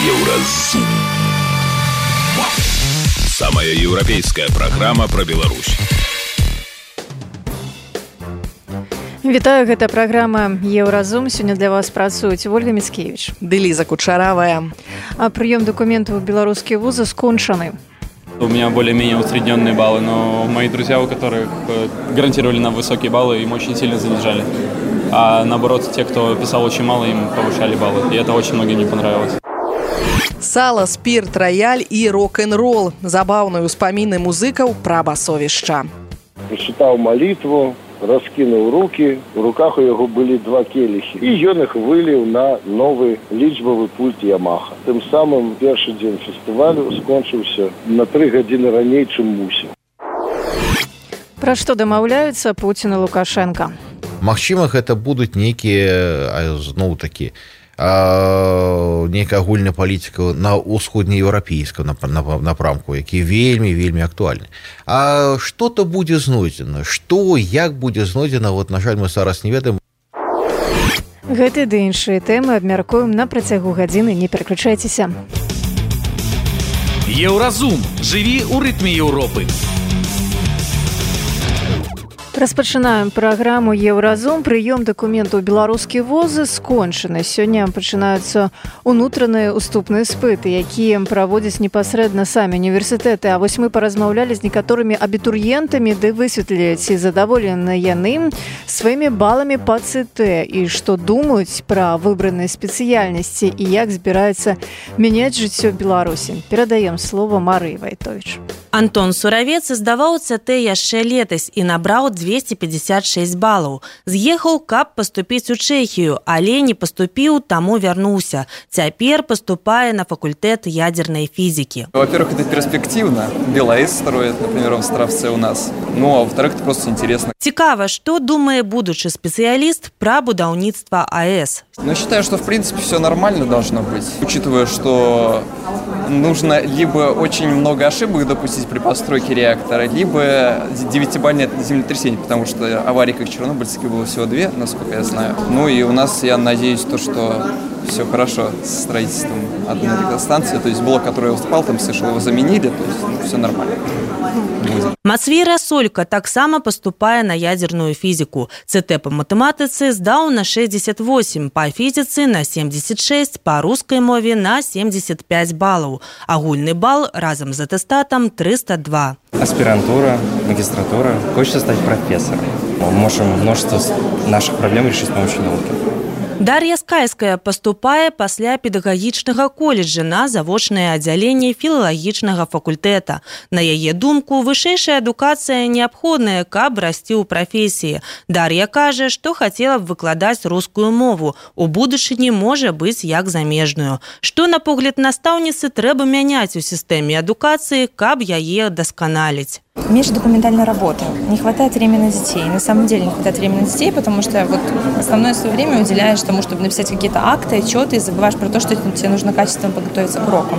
Еўразум. Самая еўрапейская программа про Беларусь. Вітаю, гэта праграма «Еўразум». Сёння для вас працуюць Ольга Міцкевіч ды Лиза Кучаравая. А прыём документов в белорусские вузы скончаны. У меня более-менее усредненные баллы, но мои друзья, у которых гарантировали нам высокие баллы, им очень сильно занижали. А наоборот, те, кто писал очень мало, им повышали баллы. И это очень многим не понравилось. Сала, спирт, рояль и рок-н-ролл. Забавные успомины музыкаў пра басовішча. Прочитал молитву, раскинул руки, в руках у него были два келихи. И ён их вылил на новый лічбовый пульт Ямаха. Тем самым первый день фестиваля скончился на 3 гадзіны раней, чым мусіў. Пра што дамаўляюцца Пуцін і Лукашенко? Магчыма, гэта будуць нейкія, зноў такі, нейкая агульная палітыка на ўсходнееўрапейском напрамку, які вельмі актуальны. А што-то будзе знойдзена? Што, як будзе знойдзена? Вот, на жаль, мы зараз не ведаем. Гэты ды іншыя тэмы абмяркуем на працягу гадзіны. Не пераключайцеся. Еўразум. Жыві ў рытме Еўропы. Распачынаем праграму «Еўразум». Прыём дакументаў беларускія вузы скончаны. Сёння пачынаюцца унутраныя уступныя спыты, якія праводзяць непасрэдна самі універсітэты. А вось мы паразмаўлялі з некаторымі абітурыентамі, ды высветлілі, ці задаволены яны сваімі баламі па ЦТ і што думаюць пра выбраныя спецыяльнасці і як збіраюцца мяняць жыццё Беларусі. Перадаем слово Марыі Вайтовіч. Антон Суравец здаваў ЦТ яшчэ летась і набраў 256 балаў. З'ехаў, каб паступіць у Чэхію, але не паступіў, таму вярнуўся. Цяпер паступае на факультэт ядерной физики. Во-первых, это перспективно. БелАЭС строит, например, в Островце у нас. Ну, а во-вторых, это просто интересно. Цікава, што думае будучы спецыяліст пра будаўніцтва АЭС. Ну, считаю, что, в принципе, все нормально должно быть. Учитывая, что нужно либо очень много ошибок допустить при постройке реактора, либо 9-бальное землетрясение, потому что аварий, как чернобыльские, было всего 2, насколько я знаю. Ну и у нас, я надеюсь, что все хорошо с строительством одной электростанции. То есть блок, который уступал, там слышал, его заменили, то есть все нормально. Мацвей Расолька таксама паступае на ядерную фізіку. ЦТ па матэматыцы здаў на 68, па фізіцы на 76, па рускай мове на 75 балаў. Агульны бал разам з атэстатам 302. Аспирантура, магистратура. Хочется стать профессором. Мы можем множество наших проблем решить с помощью науки. Дар'я Скайская паступае пасля педагагічнага коледжа на завочнае аддзяленне філалагічнага факультэта. На яе думку, вышэйшая адукацыя неабходная, каб расці ў прафесіі. Дар'я кажа, што хацела б выкладаць рускую мову. У будучыні можа быць як замежную. Што, на погляд настаўніцы, трэба мяняць у сістэме адукацыі, каб яе дасканаліць. Меньше документальной работы. Не хватает времени на детей. На самом деле не хватает времени на детей, потому что вот основное свое время уделяешь тому, чтобы написать какие-то акты, отчеты, и забываешь про то, что тебе нужно качественно подготовиться к урокам.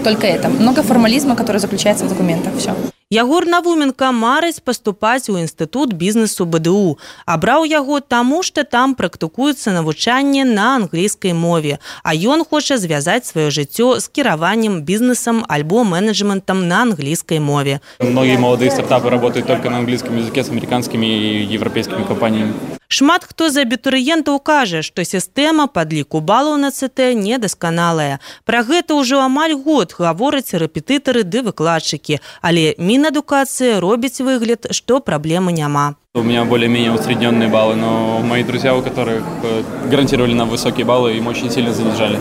Только это. Много формализма, который заключается в документах. Все. Ягор Навуменко марыць паступаць у інстытут бізнесу БДУ. Абраў яго таму, што там практыкуецца навучанне на англійскай мове, а ён хоча звязаць сваё жыццё з кіраваннем бізнесам альбо менеджментам на англійскай мове. Многие молодые стартапы работают только на английском языке с американскими и европейскими компаниями. Шмат хто з абітурыентаў кажа, што сістэма падліку балаў на ЦТ недасканалая. Пра гэта ўжо амаль год гавораць рэпетытары ды выкладчыкі, але Мінадукацыя робіць выгляд, што праблемы няма. У меня более-менее усредненные баллы, но мои друзья, у которых гарантировали нам высокие баллы, им очень сильно занижали.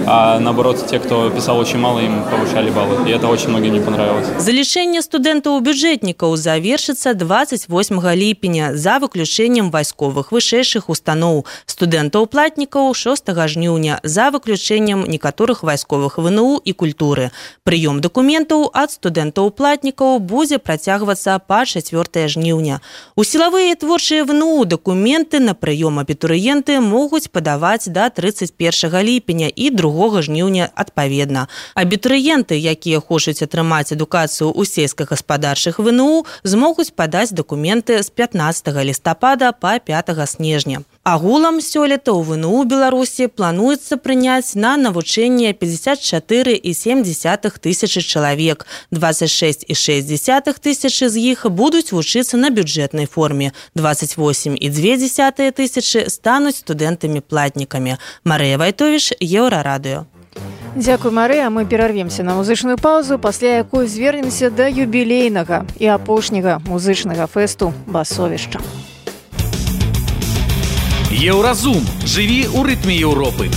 А наоборот, те, кто писал очень мало, им повышали баллы. И это очень многим не понравилось. Залічэнне студэнтаў-бюджэтнікаў завершыцца 28 ліпеня за выключэннем вайсковых вышэйшых устаноў, студэнтаў-платнікаў 6 жніўня за выключэннем некаторых вайсковых ВНУ і культуры. Прыём дакументаў ад студэнтаў-платнікаў будзе працягвацца па 4 жніўня. У сілавыя і творчыя ВНУ дакументы на прыём абітурыенты могуць падаваць да 31 ліпеня і 2 жніўня адпаведна. Абітурыенты, якія хочуць атрымаць адукацыю ў сельскагаспадарчых ВНУ, змогуць падаць дакументы з 15 лістапада па 5 снежня. Агулам сёлета ў ВНУ Беларусі плануецца прыняць на навучанне 54,7 тысячы чалавек. 26,6 тысячы з іх будуць вучыцца на бюджэтнай форме. 28,2 тысячы стануць студэнтамі-платнікамі. Марыя Вайтовіч, Еўрарадыё. Дзякуй, Марыя. Мы перарвемся на музычную паузу, пасля якой звернемся да юбілейнага і апошняга музычнага фэсту «Басовішча». Еўразум. Жыві ў рытме Еўропы.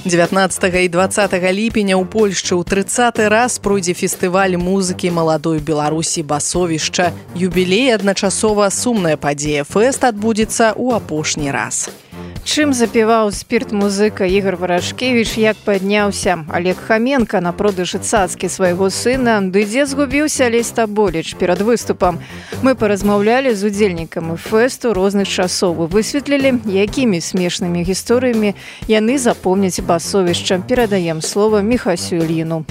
19 і 20 ліпеня ў Польшчы ў 30-й раз пройдзе фестываль музыкі маладой Беларусі «Басовішча». Юбілей адначасова сумная падзея. Фэст адбудзецца ў апошні раз. Чым запіваў спірт-музыка Ігор Варашкевіч, як падняўся Олег Хаменка на продажы цацкі свайго сына, ды дзе згубіўся Алесь Таболіч перад выступам. Мы паразмаўлялі з удзельнікамі фэсту розных часоў і высветлілі, якімі смешнымі гісторыямі яны запомняць Басовішча. Перадаем слова Міхасю Ільіну.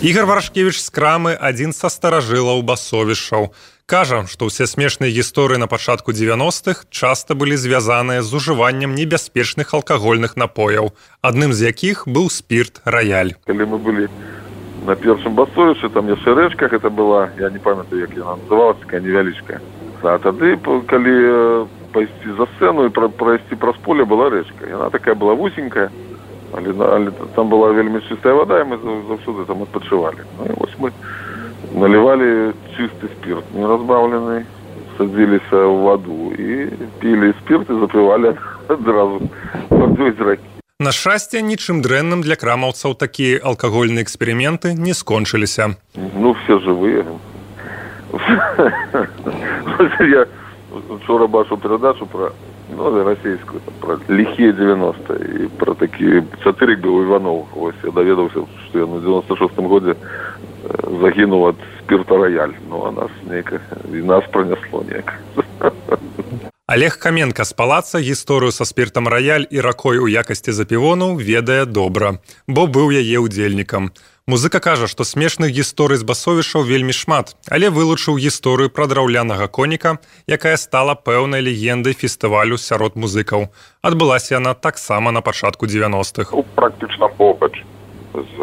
Ігор Варашкевіч з крамы адзін са старажылаў Басовішчаў. Кажа, што ўсе смешныя гісторыі на пачатку 90-х часта былі звязаныя з ужываннем небяспечных алкагольных напояў, адным з якіх быў спірт «Раяль». Калі мы былі на першым Басовішчы, там яшчэ рэчка, гэта была, я не памятаю, як яна называлася, такая невялічкая. А тады, калі пайсці за сцэну і прайсці праз поле, была рэчка. Яна такая была вусенькая, але там была вельмі чыстая вода, і мы заўсёды там адпачывалі. Ну і вось мы наливали чистый спирт, не разбавленный, садились в воду и пили спирт и запивали одразу водой из раки. На шчасце, нічым дрэнным для крамаўцаў такія алкагольныя эксперыменты не скончыліся. Ну, все живые. Я вчора бачу передачу про российскую, про лихие 90-е, и про такие сатырик был Иванов. Ось я доведался, что я на 96-м году загинув от спирта «Рояль». Ну, а нас пронесло неяк. Олег Хаменка з палаца гісторыю са спіртам «Рояль» і ракой у якасці запівону ведае добра, бо быў яе ўдзельнікам. Музыка кажа, што смешных гісторый з Басовішчаў вельмі шмат, але вылучыў гісторыю пра драўлянага коніка, якая стала пэўнай легендай фестывалю сярод музыкаў. Адбылася яна таксама на пачатку 90-х. Практычна побач з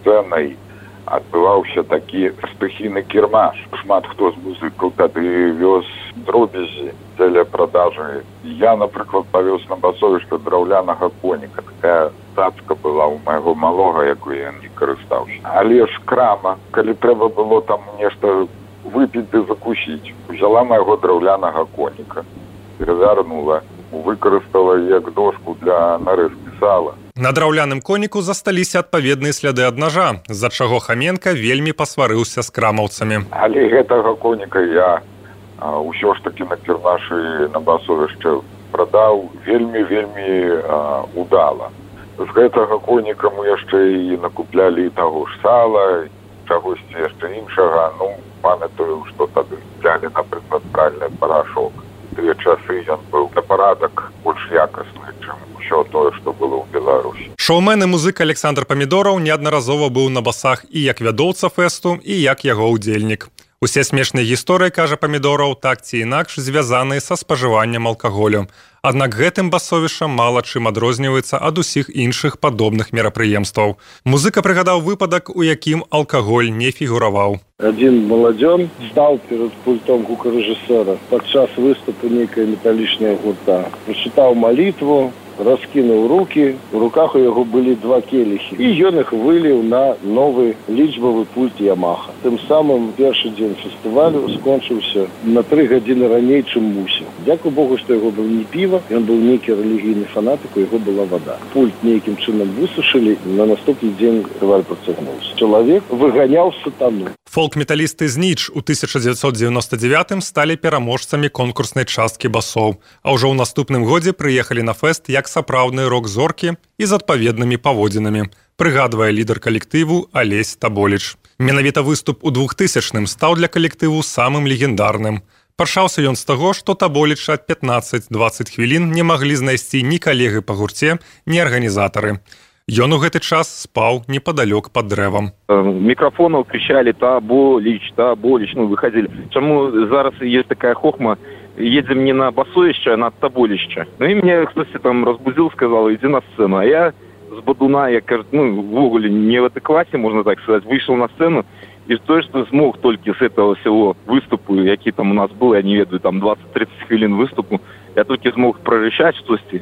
сцэнай адбываўся такі стыхійны кірмаш. Шмат хто з музыкаў тады вёз дробязі дзеля продажы. Я, напрыклад, павёз на Басовішча драўлянага коніка. Такая цацка была ў майго малога, якую я не карыстаўся. Але ж крама, калі трэба было там нешта выпіць ды закусіць, узяла майго драўлянага коніка, перавярнула, выкарыстала як дошку для нарэзкі сала. На драўляным коніку засталіся адпаведныя сляды ад нажа, з-за чаго Хаменка вельмі пасварыўся з крамаўцамі. Але гэтага коніка я ўсё ж такі на кірмашы на Басовішча прадаў вельмі удала. З гэтага коніка мы яшчэ і накуплялі таго ж сала, чагосьці яшчэ іншага. Ну, памятаю, што тады взяли, напрыклад, пральны парашок. Тыя часы ён быў на парадак больш якасны, чым усё тое, што было ў Беларусі. Шоумен і музыка Александр Памідораў неаднаразова быў на басах і як вядоўца фэсту, і як яго ўдзельнік. Усе смешныя гісторыі, кажа Памідораў, так ці інакш звязаныя са спажываннем алкаголю. Аднак гэтым Басовішча мала чым адрозніваецца ад усіх іншых падобных мерапрыемстваў. Музыка прыгадаў выпадак, у якім алкаголь не фігураваў. Один маладзён стаў перад пультом гукарэжысэра падчас выступу нейкая металічная гурта. Прачытаў малітву, раскінуў рукі, у руках у яго былі 2 келіхі, і ён іх выліў на новы лічбавы пульт Ямаха. Тым самым першы дзень фестывалю скончыўся на 3 гадзіны раней, чым мусіў. Дзякуй Богу, што яго быў не піва, ён быў нейкі рэлігійны фанатык, у яго была вада. Пульт нейкім чынам высушылі, на наступны дзень фестываль працягнуўся. Чалавек выганяў сатану. Фолк-металісты з Ніч у 1999 сталі пераможцамі конкурснай часткі басоў, а ўжо ў наступным годзе прыехалі на фэст як сапраўдныя рок-зоркі і з адпаведнымі паводзінамі, прыгадвае лідар калектыву Алесь Таболіч. Менавіта выступ у 2000-м стаў для калектыву самым легендарным. Пачаўся ён з таго, што Таболіча 15-20 хвілін не маглі знайсці ні калегі па гурце, ні арганізатары. Ён у гэты час спаў непадалёк пад дрэвам. Микрофонов кричали «Таболич», «Таболич», ну, выходили. Чему зараз есть такая хохма, едем не на Басовище, а на Тоболище. Ну и меня кто-то там разбудил, сказал, иди на сцену. А я с Бадуна, я, в уголе не в этой классе, можно так сказать, вышел на сцену. И то, что смог только с этого всего выступу, який там у нас был, я не ведаю, там 20-30 хвилин выступу, я только смог прорычать что-то,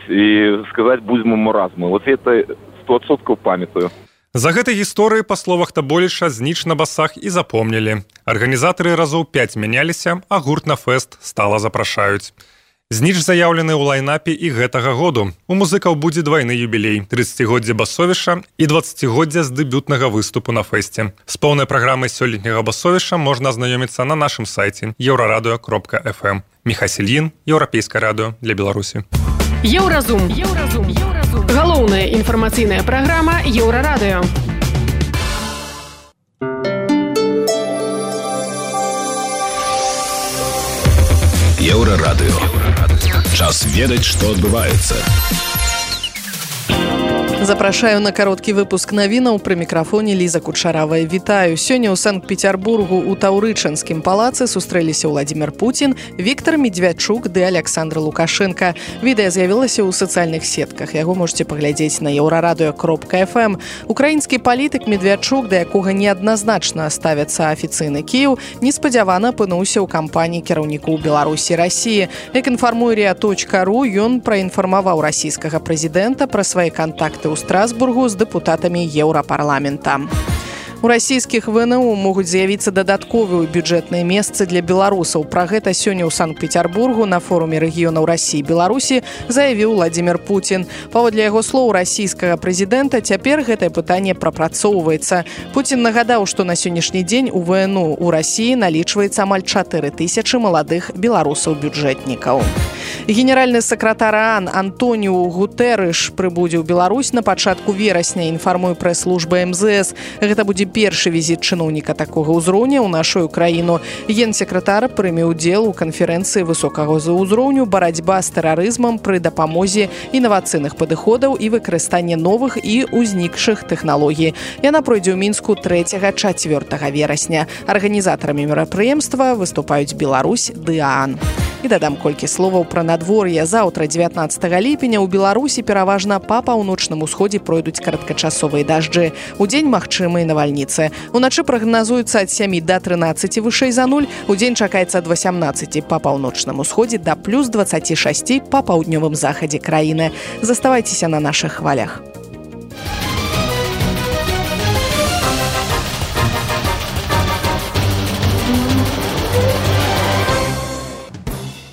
и сказать будьмо маразму. Вот это 100% памятаю. За гэтай гісторыі, па словах Таболіча, зніч на басах і запомнілі. Арганізатары разоў 5 мяняліся, а гурт на фэст стала запрашаюць. Зніч заяўлены ў лайнапе і гэтага году. У музыкаў будзе двайны юбілей – 30-годдзе Басовіша і 20-годдзя з дэбютнага выступу на фэсце. З поўнай праграмай сёлетняга Басовіша можна азнаёміцца на нашым сайце euraradио.fm. Міхась Ільін, Еўрапейскае радыё для Беларусі. Еўразум. Галоўная інфармацыйная праграма Еўрарадыё. Еўрарадыё. Час ведаць, што адбываецца. Запрашаю на кароткі выпуск навінаў. Пры мікрафоне Ліза Кучаравая. Вітаю. Сёння ў Санкт-Петербургу у Таўрычанскім палацы сустрэліся Владимир Путин, Виктор Медведчук ды Александр Лукашенко. Відэа з'явілася ў сацыяльных сетках. Яго можете паглядзець на euraradио.fm. Украінскі палітык Медведчук, да якога неадназначна ставяцца афіцыйны Кіеў, неспадзявана апынуўся ў кампаніі кіраўнікоў Беларусі і Расіі. Як інфармуе ria.ru, ён праінфармаваў расійскага прэзідэнта пра свае кантакты у Страсбургу з дэпутатамі Еўрапарламента. У расійскіх ВНУ могуць з'явіцца дадатковыя бюджэтныя месцы для беларусаў. Пра гэта сёння ў Санкт-Петербургу на форуме рэгіёнаў Расіі і Беларусі заявіў Владимир Путин. Паводле яго слоў расійскага прэзідэнта цяпер гэтае пытанне прапрацоўваецца. Путин нагадаў, што на сённяшні дзень у ВНУ у Расіі налічваецца амаль 4000 маладых беларусаў-бюджэтнікаў. Генеральны сакратар ООН Антоніу Гутэрыш прыбудзе ў Беларусь на пачатку верасня, інфармуе прэс-служба МЗС. Гэта будзе першы візіт чыноўніка такога ўзроўня ў нашу краіну. Генсекратар прыме ўдзел у канферэнцыі высокага ўзроўню «Барацьба з тэрарызмам пры дапамозе інавацыйных падыходаў і выкарыстанне новых і ўзнікшых тэхналогій». Яна пройдзе ў Мінску 3-4 верасня. Арганізатарамі мерапрыемства выступаюць Беларусь ды ООН. І дадам колькі словаў пра надвор'е. Заўтра, 19 ліпеня, у Беларусі пераважна па паўночным усходзе пройдуць кароткачасовыя дажджы. Удзень магчымыя навальніцы. Уначы прагназуецца ад 7 да 13 вышэй за 0. Удзень чакаецца ад 18 па паўночным усходзе да плюс 26 па паўднёвым захадзе краіны. Заставайцеся на нашых хвалях.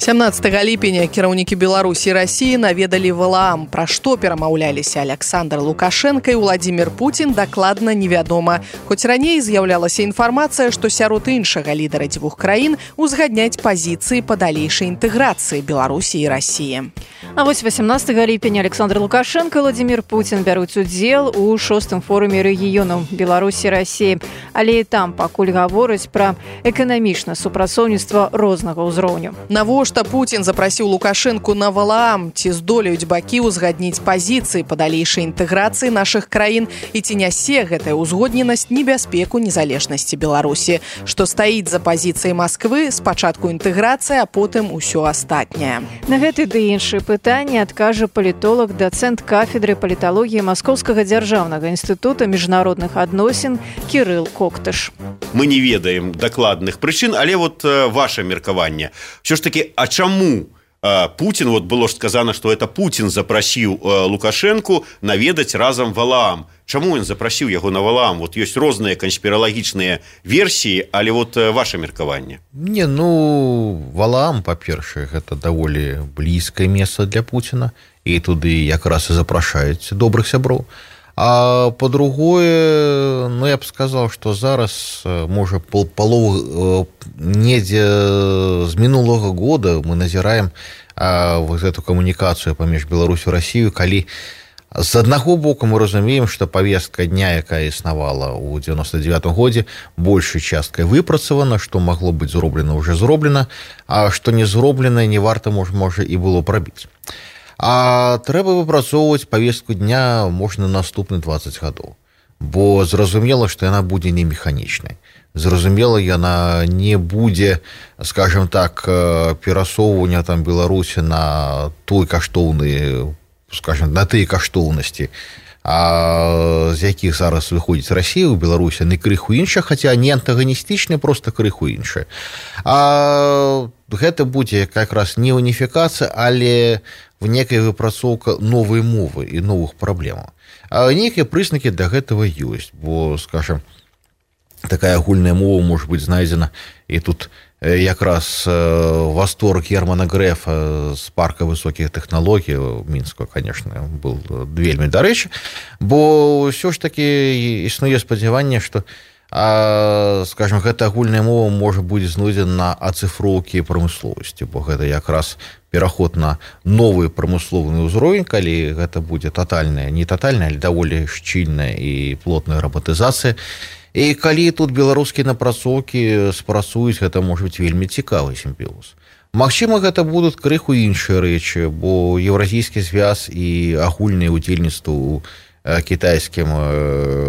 17 ліпеня кіраўнікі Беларусі і Расіі наведалі Валаам. Пра што перамаўляліся Александр Лукашенко і Владимир Путин, дакладна невядома. Хоць раней з'яўлялася інфармацыя, што сярод іншага лідара дзвюх краін узгадняць пазіцыі па далейшай інтэграцыі Беларусі і Расіі. А вось 18 ліпеня Александр Лукашенко і Владимир Путин бяруць удзел у 6-м форуме рэгіёнаў Беларусі і Расіі. Але і там пакуль гавораць пра эканамічнае супрацоўніцтва рознага ўзроўню. Навошта Путин запрасіў Лукашенку на Валаам? Ці здолеюць бакі ўзгадніць пазіцыі па далейшай інтэграцыі нашых краін і ці нясе гэтая ўзгодненасць небяспеку незалежнасці Беларусі? Што стаіць за пазіцыяй Масквы? Спачатку інтэграцыя, а потым усё астатняе. На гэты ды іншыя пытанні адкажа палітолог, дацэнт кафедры паліталогіі Маскоўскага дзяржаўнага інстытута міжнародных адносін Кірыл Коктыш. Мы не ведаем дакладных прычын, але вот ваше меркаванне. Все ж таки, а чаму Путин, вот было ж сказано, что это Путин запрасіў Лукашенку наведаць разам Валаам. Чаму ён запрасіў яго на Валаам? Вот ёсць розныя канспіралагічныя версіі, але вот ваше меркаванне. Не, Валаам, па-першае, гэта даволі блізкае месца для Путина, і туды якраз і запрашаюць добрых сяброў. А по-другое, я б сказал, что зараз, можа, полову недзе з мінулага года мы назіраем вот эту камунікацыю паміж Беларусю і Расію, калі з аднаго боку мы разумеем, што павестка дня, якая існавала ў 99-м годзе, большай часткай выпрацавана, што магло быць зроблена, уже зроблена, а што не зроблена, не варта, можа, і было прабіць. А трэба выпрацоўваць павестку дня можна наступны 20 гадоў, бо зразумела, што яна будзе не механічнай. зразумела, яна не будзе, скажем так, перасоўвання там Беларусі на той каштоўны, скажем, на тыя каштоўнасці, з якіх зараз выходзіць Расія ў Беларусі, не крыху іншая, хаця не антаганістычная, просто крыху іншая. Гэта будзе якраз не уніфікацыя, але в некая выпрацоўка новай мовы і новых праблемаў. Нейкія прызнакі для гэтага ёсць, бо, скажем, такая агульная мова можа быць знайдзена, і тут якраз восторг Германа Грэфа з парка высокіх тэхналогій у Мінску, конечно, был вельмі дарэчы, бо ўсё ж таки існуе спадзяванне, што, скажем, гэта агульная мова можа будзе знойдзена на ацыфроўкі прамысловасці, бо гэта якраз пераход на новы прамысловы ўзровень, калі гэта будзе татальная, не татальная, але даволі шчыльная і плотная рабатызацыя. І калі тут беларускія напрацоўкі спрацуюць, гэта можа быць вельмі цікавы сімбіоз. Магчыма, гэта будуць крыху іншыя рэчы, бо еўразійскі звяз і агульнае ўдзельніцтва ў кітайскім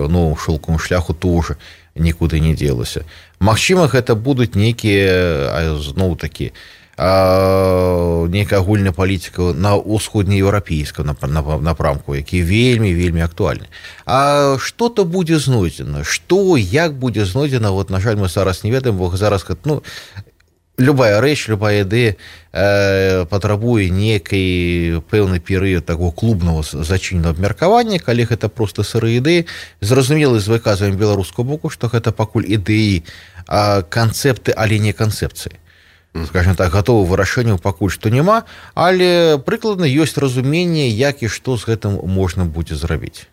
новым шэлкавым шляху тоже нікуды не дзелася. Магчыма, гэта будуць нейкія, зноў-такі, нейкая агульная палітыка на ўсходнееўрапейскім напрамку, які вельмі актуальны. А што-то будзе знойдзена, што, як будзе знойдзена, вот, на жаль, мы зараз не ведаем, бо зараз, ну, любая рэч, любая ідэя патрабуе некай пэўны перыяд таго клубнага зачыненага абмеркавання, калі гэта проста сырыя ідэі. Зразумела, з выказваннем беларускага боку, што гэта пакуль ідэі, канцэпты, але не канцэпцыі. Скажем так, готовых вырашэнняў пакуль што няма, але прыкладна ёсць разуменне, як і што з гэтым можна будзе зрабіць.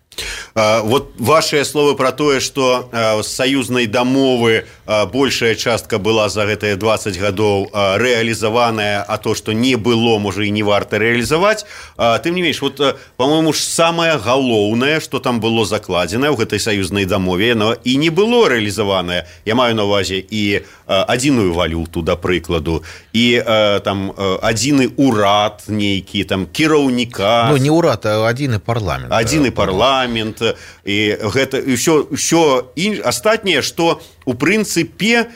Вот ваши словы про тое, что з саюзнай дамовы большая частка была за гэтыя 20 гадоў рэалізаваная, а то, что не было, можа і не варта рэалізаваць. Тым не менш, вот, по-моему, ж самае галоўнае, что там было закладзена ў гэтай саюзнай дамове, но і не было рэалізаванае. Я маю на ўвазе і адзіную валюту, да прыкладу, і там адзіны урад нейкі, там кіраўніка. Ну, не урад, а адзіны парламент. Адзіны парламент. І гэта ўсё астатняе, што у прынцыпе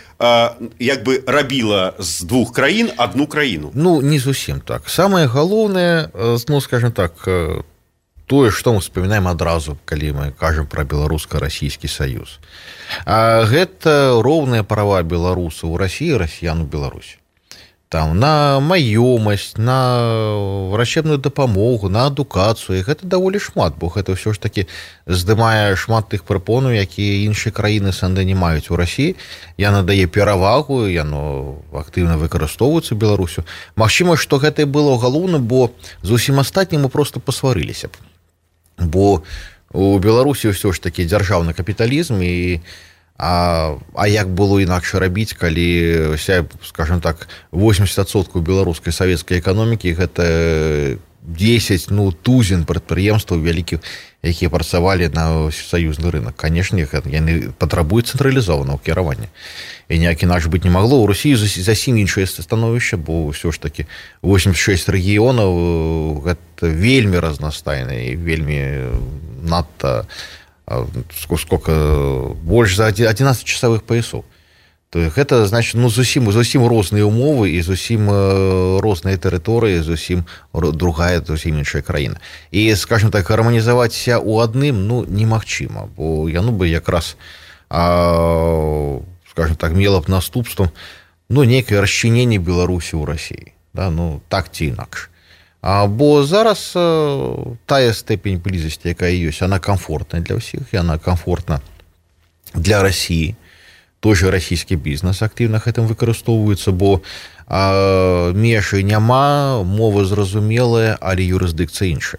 як бы рабіла з двух краін адну краіну. Ну, не зусім так. Самае галоўнае, ну, скажем так, тое, што мы вспоминаем адразу, калі мы кажам пра беларуска-расійскі саюз. Гэта роўныя права беларусаў у Расіі, расіян у Беларусі. Там, на маёмасць, на врачебную дапамогу, на адукацыю. Гэта даволі шмат, бо гэта ўсё ж такі здымае шмат тых прапонаў, якія іншыя краіны СНД не маюць у Расіі. Яна дае перавагу, яно актыўна выкарыстоўваецца Беларусю. Магчыма, што гэта і было галоўна, бо з усім астатнім мы проста пасварыліся б. Бо у Беларусі ўсё ж такі дзяржаўны капіталізм, і А як было інакш рабіць, калі вся, скажем так, 80% беларускай савецкай эканомікі гэта 10 тузін прадпрыемстваў вялікіх, якія працавалі на саюзны рынок. Канешне, яны патрабуюць цэнтралізованого кіравання. І ніяк інакш быць не магло. У Росіі зусім іншае становішча, бо ўсё ж такі 86 рэгіёнаў гэта вельмі разнастайна і вельмі надта сколько больш за 11 часовых поясов. То гэта значит, ну, зусім розныя умовы і зусім розныя тэрыторыі, зусім другая, зусім іншая краіна. І, скажем так, гарманізавацца ў адным, ну, немагчыма, бо яно бы якраз, скажем так, мела б наступствам, ну, нейкае расчыненне Беларусі ў Расіі, да, ну, так ці інакш. Бо зараз тая степень блізасці, якая ёсць, она комфортная для ўсіх, яна комфортна для Расіі. Той же расійскі бізнес актыўна гэтым выкарыстоўваецца, бо межы няма, мова зразумелая, але юрысдыкцыя іншая.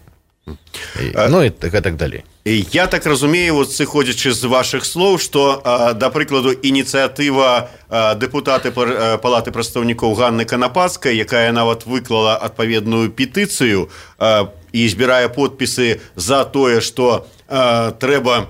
Ну і так далей. Я так разумею, вот сыходзячы з вашых слоў, што, да прыкладу, ініцыятыва дэпутаты Палаты прадстаўнікоў Ганны Канапацкай, якая нават выклала адпаведную петыцыю і збірае подпісы за тое, што трэба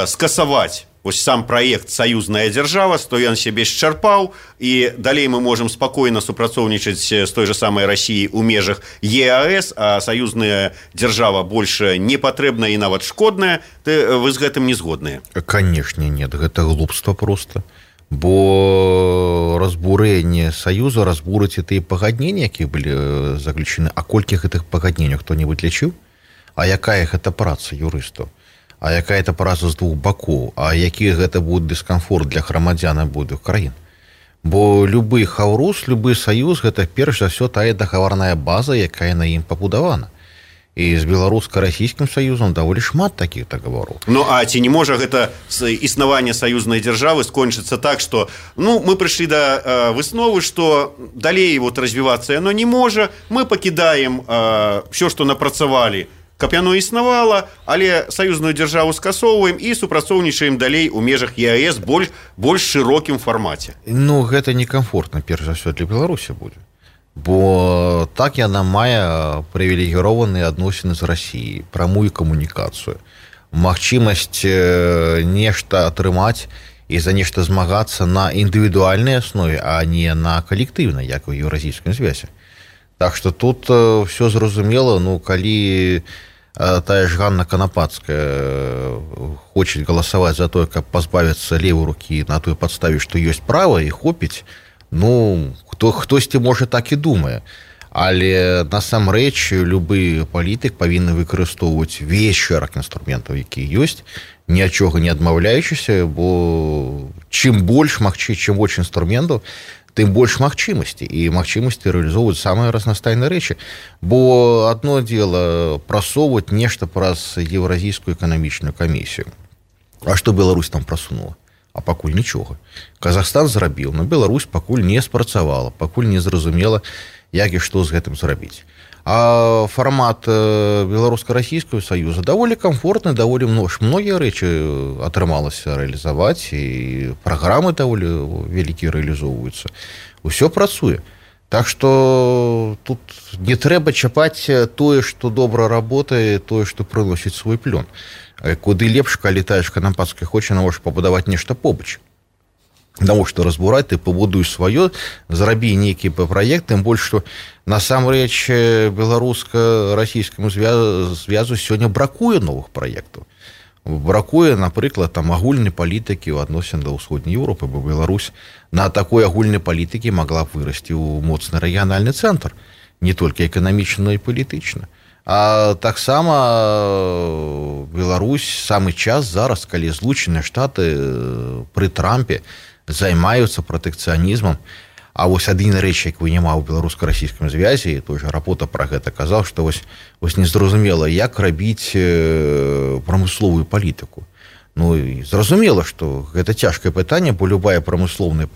скасаваць вось сам праект «Саюзная дзяржава», то ён сябе счарпаў, і далей мы можам спакойна супрацоўнічаць з той же самай Расіяй у межах ЕАЭС, а саюзная дзяржава больше не патрэбная і нават шкодная. Вы з гэтым не згодныя? Канешне, нет, гэта глупства просто. Бо разбурэнне саюза разбурыць тыя пагадненні, якія былі заключены. А колькі гэтых пагадненняў хто-небудзь лічыў? А якая гэта праца юрыстаў? А якая это праца з двух бакоў? А які гэта будзе дыскамфорт для грамадзян абодвух краін? Бо любы хаўрус, любы саюз гэта перш за ўсё тая дагаварная база, якая на ім пабудавана. І з беларуска-расійскім саюзам даволі шмат такіх дагавораў. Ну, а ці не можа гэта існаванне саюзнай дзяржавы скончыцца так, што мы прыйшлі да высновы, што далей развівацца яно не можа, мы пакідаем ўсё, што напрацавалі, каб яно існавала, але саюзную дзяржаву скасоўваем і супрацоўнічаем далей у межах ЕАЭС больш шырокім фармаце. Ну, гэта некамфортна, перш за ўсё, для Беларусі будзе. Бо так яна мае прывілегіраваныя адносіны з Расіяй, прамую камунікацыю, магчымасць нешта атрымаць і за нешта змагацца на індывідуальнай аснове, а не на калектыўнай, як у Еўразійскім звязе. Так што тут все зразумела, калі тая ж Ганна Канапацкая хоча галасаваць за тое, каб пазбавіцца левай рукі на той падставе, што ёсць права і хопіць, хтосьці можа так і думае, але насамрэч любы палітык павінны выкарыстоўваць увесь шэраг інструментаў, які ёсць, ні ад чога не адмаўляючыся, бо чым больш інструментаў, тым больш магчымасці, і магчымасці рэалізоўваць самыя разнастайныя рэчы. Бо адно дело прасоўваць нешта праз Еўразійскую эканамічную камісію. А што Беларусь там прасунула? А пакуль нічога. Казахстан зрабіў, но Беларусь пакуль не спрацавала, пакуль не зразумела, як і што з гэтым зрабіць. А фармат беларуска-расійскага саюза даволі камфортны, даволі многія рэчы атрымалася рэалізаваць, і праграмы даволі вялікія рэалізоўваюцца. Усё працуе. Так што тут не трэба чапаць тое, што добра работае, тое, што прыносіць свой плён. Куды лепш, калі тая ж Канапацкая хоча навошта пабудаваць нешта побач. Навошта разбураць, ты пабудуеш сваё, зрабі нейкі праект, тым больш, што насамрэч беларуска-расійскаму звязу сёння бракуе новых праектаў. Бракуе, напрыклад, агульнай палітыкі ў адносін да ўсходняй Еўропы, бо Беларусь на такой агульнай палітыкі магла б вырасці ў моцны рэгіянальны цэнтр, не толькі эканамічна, но і палітычна. А таксама Беларусь самы час зараз, калі Злучаныя Штаты пры Трампе займаюцца пратэкцыянізмам, а вось адзіная рэч, якой няма ў беларуска-расійскім звязе, і той жа Рапота пра гэта казаў, што вось незразумела, як рабіць прамысловую палітыку. І зразумела, што гэта цяжкае пытанне, бо любая прамысловая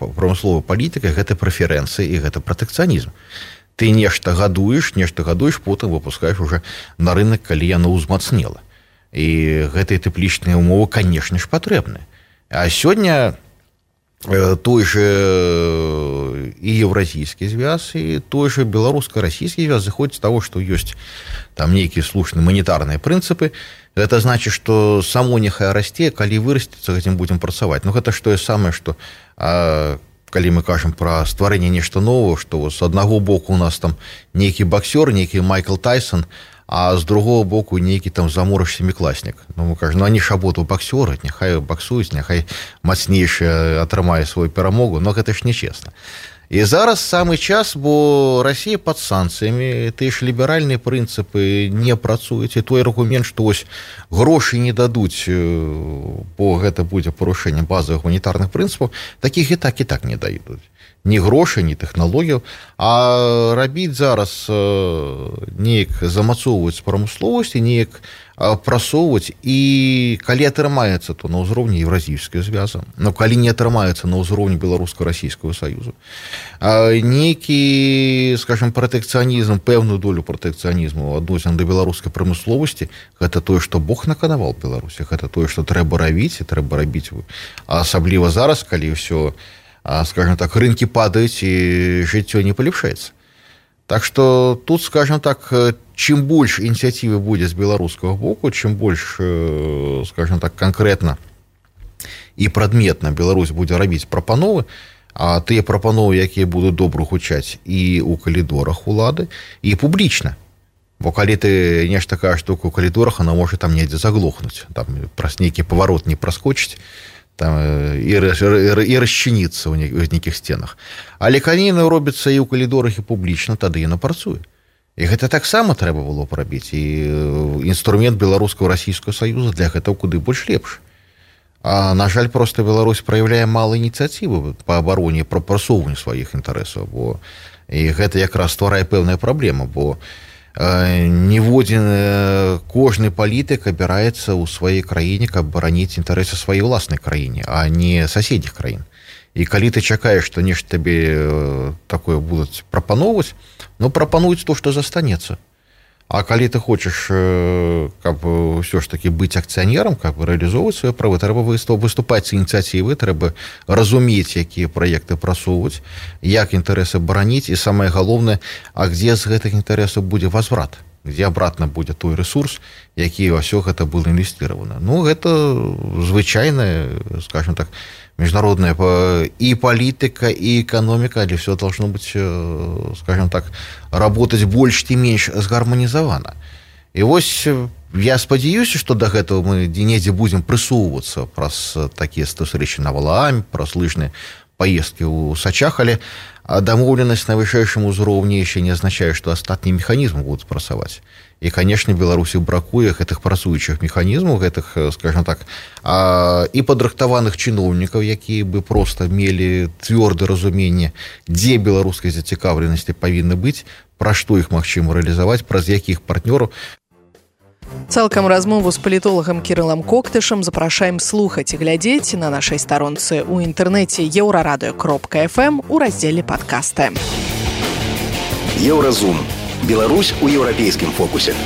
палітыка гэта прэферэнцыі і гэта пратэкцыянізм. Ты нешта гадуеш, потым выпускаеш уже на рынок, калі яно ўзмацнела. І гэтыя тэплічныя ўмовы, канешне ж, патрэбныя. А сёння той же і еўразійскі звяз, і той же беларуска-расійскі звяз зыходзіць з таго, што ёсць там нейкія слушныя манетарныя прынцыпы. Гэта значыць, што само няхай расце, калі вырасціцца, гэтым будзем працаваць. Гэта ж тое самае, што калі мы кажам пра стварэнне нешта нового, што з аднаго боку у нас там нейкі боксер, нейкі Майкл Тайсон, а з другого боку нейкі там заморыш семікласнік. Мы кажам, они ж абодва боксеры, няхай боксуюць, няхай мацнейшы атрымае свою перамогу, но гэта ж нечесна. І зараз самы час, бо Расія пад санкцыямі, тыя ж ліберальныя прынцыпы не працуюць, і той аргумент, што вось грошы не дадуць, бо гэта будзе парушэнне базавых гуманітарных прынцыпаў, такіх і так не дадуць. Ні грошай, ні тэхналогіяў, а рабіць зараз неяк замацоўваць прамысловасць і неяк прасоўваць, і калі атрымаецца, то на ўзроўні Еўразійскага звяза, но калі не атрымаецца на ўзроўні беларуска-расійскага саюзу, нейкі, скажем, пратэкцыянізм, пэўную долю пратэкцыянізму адносін да беларускай прамысловасці, гэта тое, што Бог наканаваў Беларусі, гэта тое, што трэба рабіць, і трэба рабіць, асабліва зараз, калі ўсё, скажем так, рынкі падаюць і жыццё не палепшаецца. Так што тут, скажем так, чым больш ініцыятывы будзе з беларускага боку, чым больш, скажем так, канкрэтна і прадметна Беларусь будзе рабіць прапановы, а тыя прапановы, якія будуць добра гучаць і ў калідорах улады, і публічна. Бо калі ты нешта кажаш штуку ў калідорах, она можа там недзе заглохнуць, там праз нейкі паварот не праскочыць, там і расчыніцца ў нейкіх сценах. Але калі яно робіцца і ў калідорах, і публічна, тады яно працуе. І гэта таксама трэба было б рабіць. І інструмент беларускага расійскага саюза для гэтага куды больш лепш. А, на жаль, проста Беларусь праяўляе мала ініцыятывы па абароне, па прасоўванню сваіх інтарэсаў. І гэта якраз стварае пэўная праблема, бо ніводзін кожны палітык абіраецца ў сваёй краіне, каб бараніць інтарэсы сваёй уласнай краіне, а не суседніх краін. І калі ты чакаеш, што нешта табе такое будуць прапаноўваць, ну, прапануюць то, што застанецца. А калі ты хочаш, каб ўсё ж такі быць акцыянерам, каб рэалізоўваць свае правы, трэба выступаць з ініцыятывы, трэба разумець, якія праекты прасоўваць, як інтарэсы бараніць, і самае галоўнае, а дзе з гэтых інтарэсаў будзе возврат, дзе абратна будзе той ресурс, які ўсё гэта было інвестировано. Ну, гэта звычайная, скажем так, международная и политика, и экономика, але все должно быть, скажем так, работать больше и меньше сгарманизовано. И вот я спадзяюся, что до гэтага мы недзе будем прысоўвацца праз такія сустрэчы на Валааме, праз лыжныя поездки ў Сачах, але дамоўленасць на вышэйшым узроўні яшчэ не азначае, што астатнія механізмы будуць працаваць. І, конечно, Беларусі бракуе гэтых працуючых механізмаў, гэтых, скажем так, і падрыхтаваных чыноўнікаў, якія бы проста мелі цвёрдае разуменне, дзе беларускай зацікаўленасці павінны быць, пра што іх магчыма рэалізаваць, праз якіх партнёраў. Цалкам размову з палітолагам Кірылам Коктышам запрашаем слухаць і глядзець на нашай старонцы ў інтэрнэце euraradio.fm у раздзеле падкасты. Еўразум. Беларусь у еўрапейскім фокусе.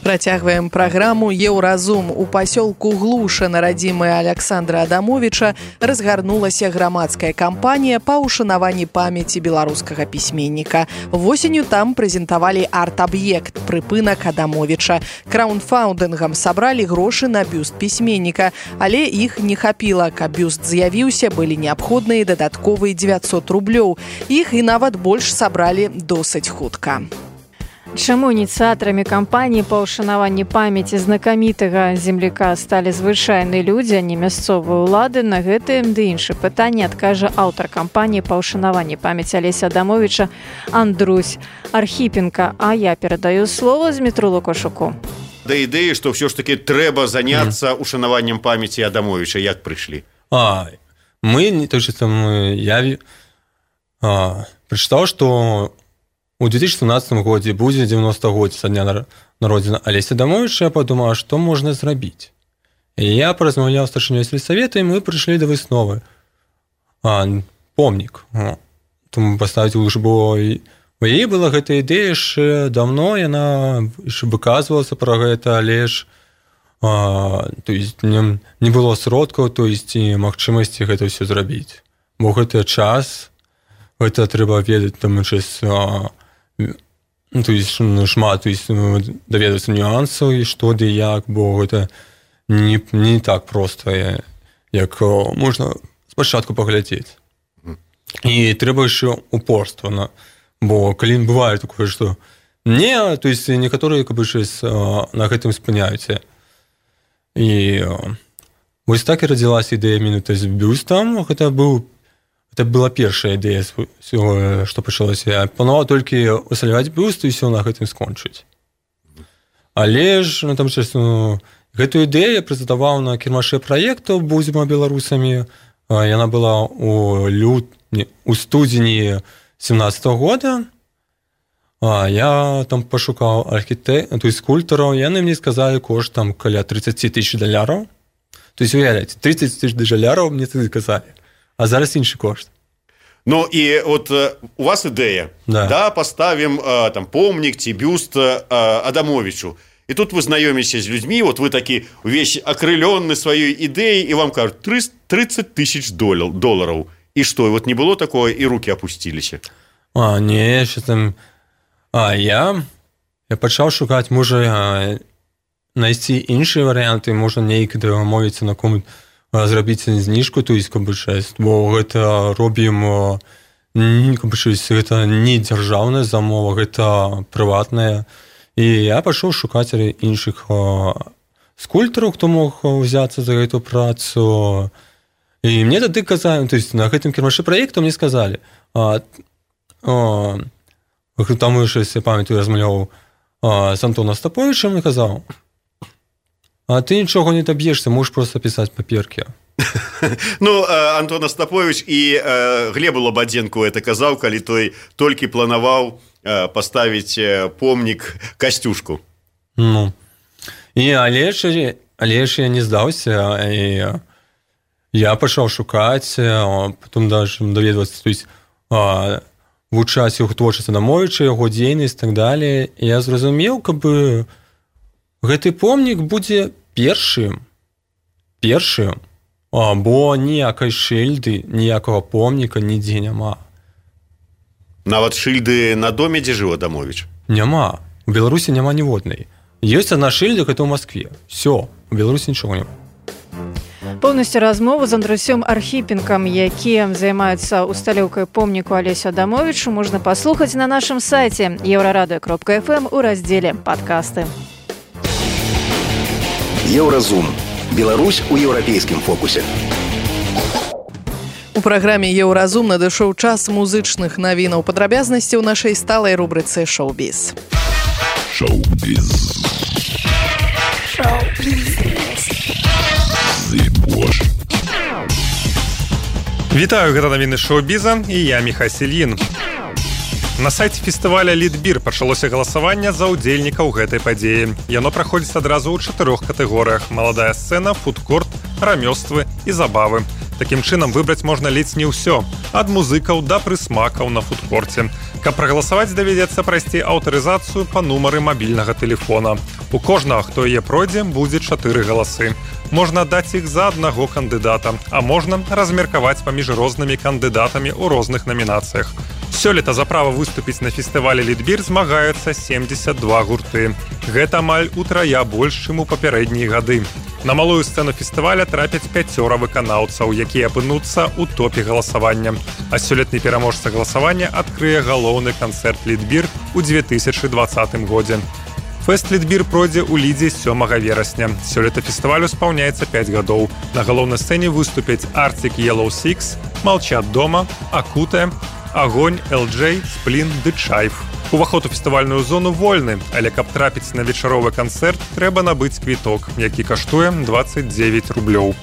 Працягваем праграму «Еўразум». У пасёлку Глуша на радзімы Аляксандра Адамовіча разгарнулася грамадская кампанія па ўшанаванні памяці беларускага пісьменніка. Восенню там прэзентавалі арт-аб'ект «Прыпынак Адамовіча». Краўдфандынгам сабралі грошы на бюст пісьменніка, але іх не хапіла. Каб бюст з'явіўся, былі неабходныя дадатковыя 900 рублёў. Іх і нават больш сабралі досыць хутка. Чаму ініцыятарамі кампаніі па ўшанаванні памяці знакамітага земляка сталі звычайныя людзі, а не мясцовыя ўлады? На гэтае ды іншае пытанне адкажа аўтар кампаніі па ўшанаванні памяці Алеся Адамовіча Андрусь Архіпенка. А я перадаю слово Змітру Лукашуку. Да ідэі, што ўсё ж такі трэба заняцца ушанаваннем памяці Адамовіча. Як прыйшлі? Я прачытаў, што у 2017 годзе будзе 90-годдзе са дня народзення Алеся Адамовіча. Я падумала, што можна зрабіць. І я паразмаўляў з старшынёй сельсавета, і мы прыйшлі да высновы. Помнік. Тому паставіць у лужбу. У яе была гэта ідэя яшчэ даўно, яна яшчэ выказвалася пра гэта, але ж не было сродкаў, і магчымасці гэта ўсё зрабіць. Бо гэта час, гэта трэба ведаць там шмат даведацца нюансаў і што ды як, бо гэта не так проста, як можна спачатку паглядзець. І трэба яшчэ упорства, бо калі бывае такое, што некаторыя на гэтым спыняюцца. І вось так і радзілася ідэя менавіта з бюстам. Гэта была першая ідэя, што пачалася. Я планаваў толькі усталяваць бюст і ўсё на гэтым скончыць. Але ж гэтую ідэю я прэзентаваў на кірмашы праектаў «Будзем беларусамі». Яна была у студзені 17-го года. Я там пашукаў скульптараў. Яны мне сказалі кошт там каля $30,000. То есть, уявляеце, $30,000 мне тады казалі. А зараз іншы кошт. Ну, і от у вас ідэя. Да, паставім там помнік ці бюст Адамовічу. І тут вы знаёміся з людзьмі, вот вы такі увесь акрылённы сваёй ідэяй, і вам кажуць $30,000. І што, вот не было такое, і рукі апусціліся? Не, яшчэ там... Я пачаў шукаць, можа, знайсці іншыя варыянты, можна неяк дамовіцца на кому зрабіць зніжку, то есть КБ6, бо гэта робім КБ6, гэта не дзяржаўная замова, гэта прыватная. І я пашоў шукаць іншых скульптараў, хто мог узяцца за гэту працу. І мне тады казалі, то есть на гэтым кірмашы праекту мне сказалі, там я памятаю, размаўляў з Антоном Остаповичем і казаў, а ты нічога не доб'ешся, можаш просто пісаць паперкі. Ну, Антон Остапович і Глебу Лободенку это казаў, калі той толькі планаваў паставіць помнік Касцюшку. Ну, але ж я не здаўся, і я пачаў шукаць, потом даже даведвацца, то есть вывучаць яго творчасць Адамовіча, яго дзейнасць і так далее. І я зразумеў, каб гэты помнік будзе першым, бо ніякай шыльды, ніякага помніка нідзе няма. Нават шыльды на доме, дзе жыў Адамовіч? Няма. У Беларусі няма ніводнай. Ёсць адна шыльда, гэта ў Маскве. Всё, у Беларусі нічога няма. Поўнасцю размову з Андрусём Архіпенкам, які займаецца усталёўкай помніку Алесю Адамовічу, можна паслухаць на нашым сайце euraradыо.fm у раздзеле «Падкасты». Еўразум. Беларусь у еўрапейскім фокусе. У праграме «Еўразум» надышоў час музычных навінаў. Падрабязнасці ў нашай сталай рубрыцы «Шоу-біз». Шоу-біз. Вітаю, гэта навіны шоу-біза, і я Міхась Ільін. На сайце фестываля «Лідбір» пачалося галасаванне за ўдзельнікаў гэтай падзеі. Яно праходзіць адразу ў 4 катэгорыях: маладая сцэна, фудкорт, рамёствы і забавы. Такім чынам выбраць можна ледзь не ўсё, ад музыкаў да прысмакаў на фудкорце. Каб прагаласаваць, давядзецца прайсці аўтарызацыю па нумары мабільнага тэлефона. У кожнага, хто яе пройдзе, будзе 4 галасы. Можна даць іх за аднаго кандыдата, а можна размеркаваць паміж рознымі кандыдатамі ў розных намінацыях. Сёлета за права выступіць на фестывалі «Лідбір» змагаюцца 72 гурты. Гэта амаль утрая больш, чым у папярэднія гады. На малую сцэну фестываля трапяць 5 выканаўцаў, якія апынуцца ў топе галасавання. А сёлетні пераможца галасавання адкрые галоўны канцэрт «Лідбір» у 2020 годзе. Фэст «Лідбір» пройдзе ў Лідзе 7 верасня. Сёлета фестывалю спаўняецца 5 гадоў. На галоўнай сцэне выступяць Arctic Yellow Six, Молчат дома, Акутэ, Агонь, LJ, Сплін ды Чайф. Уваход у фестывальную зону вольны, але каб трапіць на вечаровы канцэрт, трэба набыць квіток, які каштуе 29 рублёў.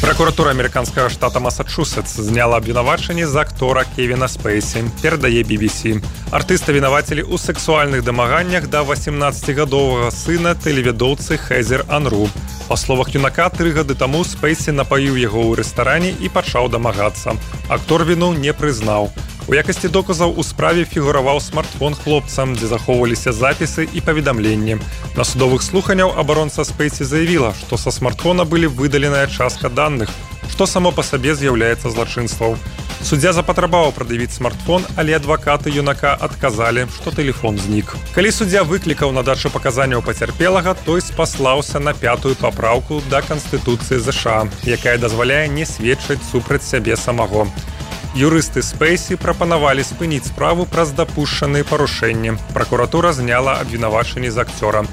Пракуратура амерыканскага штата Масачусетс зняла абвінавачанне з актора Кевіна Спейсі, перадае BBC. Артыста вінавацілі ў сексуальных дамаганнях да 18-гадовага сына тэлеведоўцы Хезер Анру. Па словах юнака, 3 гады таму Спейсі напаіў яго ў рэстаране і пачаў дамагацца. Актор віну не прызнаў. У якасці доказаў у справе фігураваў смартфон хлопца, дзе захоўваліся запісы і паведамленні. На судовых слуханняў абаронца Спейсі заявіла, што са смартфона былі выдаленая частка даных, што само па сабе з'яўляецца злачынствам. Суддзя запатрабаваў прад'явіць смартфон, але адвакаты юнака адказалі, што тэлефон знік. Калі суддзя выклікаў на дачу паказанняў пацярпелага, той спаслаўся на 5-ю папраўку да Канстытуцыі ЗША, якая дазваляе не сведчыць супраць сябе самого. Юрысты Спейсі прапанавалі спыніць справу праз дапушчаныя парушэнні. Пракуратура зняла абвінавачанні з акцёра.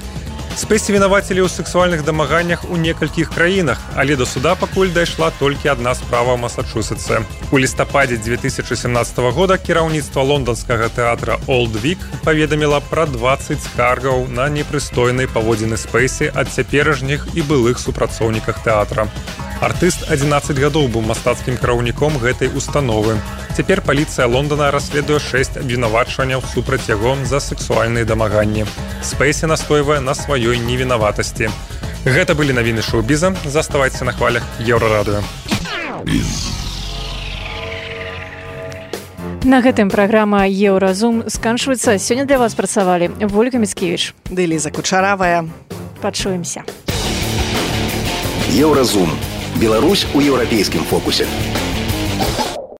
Спейсі вінавацілі ў сексуальных дамаганнях у некалькіх краінах, але да суда пакуль дайшла толькі адна справа ў Масачусетсе. У лістападзе 2017 года кіраўніцтва лонданскага тэатра Old Vic паведаміла пра 20 скаргаў на непрыстойныя паводзіны Спейсі ад цяперашніх і былых супрацоўніках тэатра. Артыст 11 гадоў быў мастацкім кіраўніком гэтай установы. Цяпер паліцыя Лондона расследуе 6 абвінавачванняў супраць яго за сексуальныя дамаганні. Спейсі настойвае на сваёй невінаватасці. Гэта былі навіны шоу-біза. Заставайцеся на хвалях Еўрарадыё. На гэтым праграма «Еўразум» сканчваецца. Сёння для вас працавалі Вольга Міцкевіч ды Ліза Кучаравая. Пачуемся. Еўразум. Беларусь у еўрапейскім фокусе.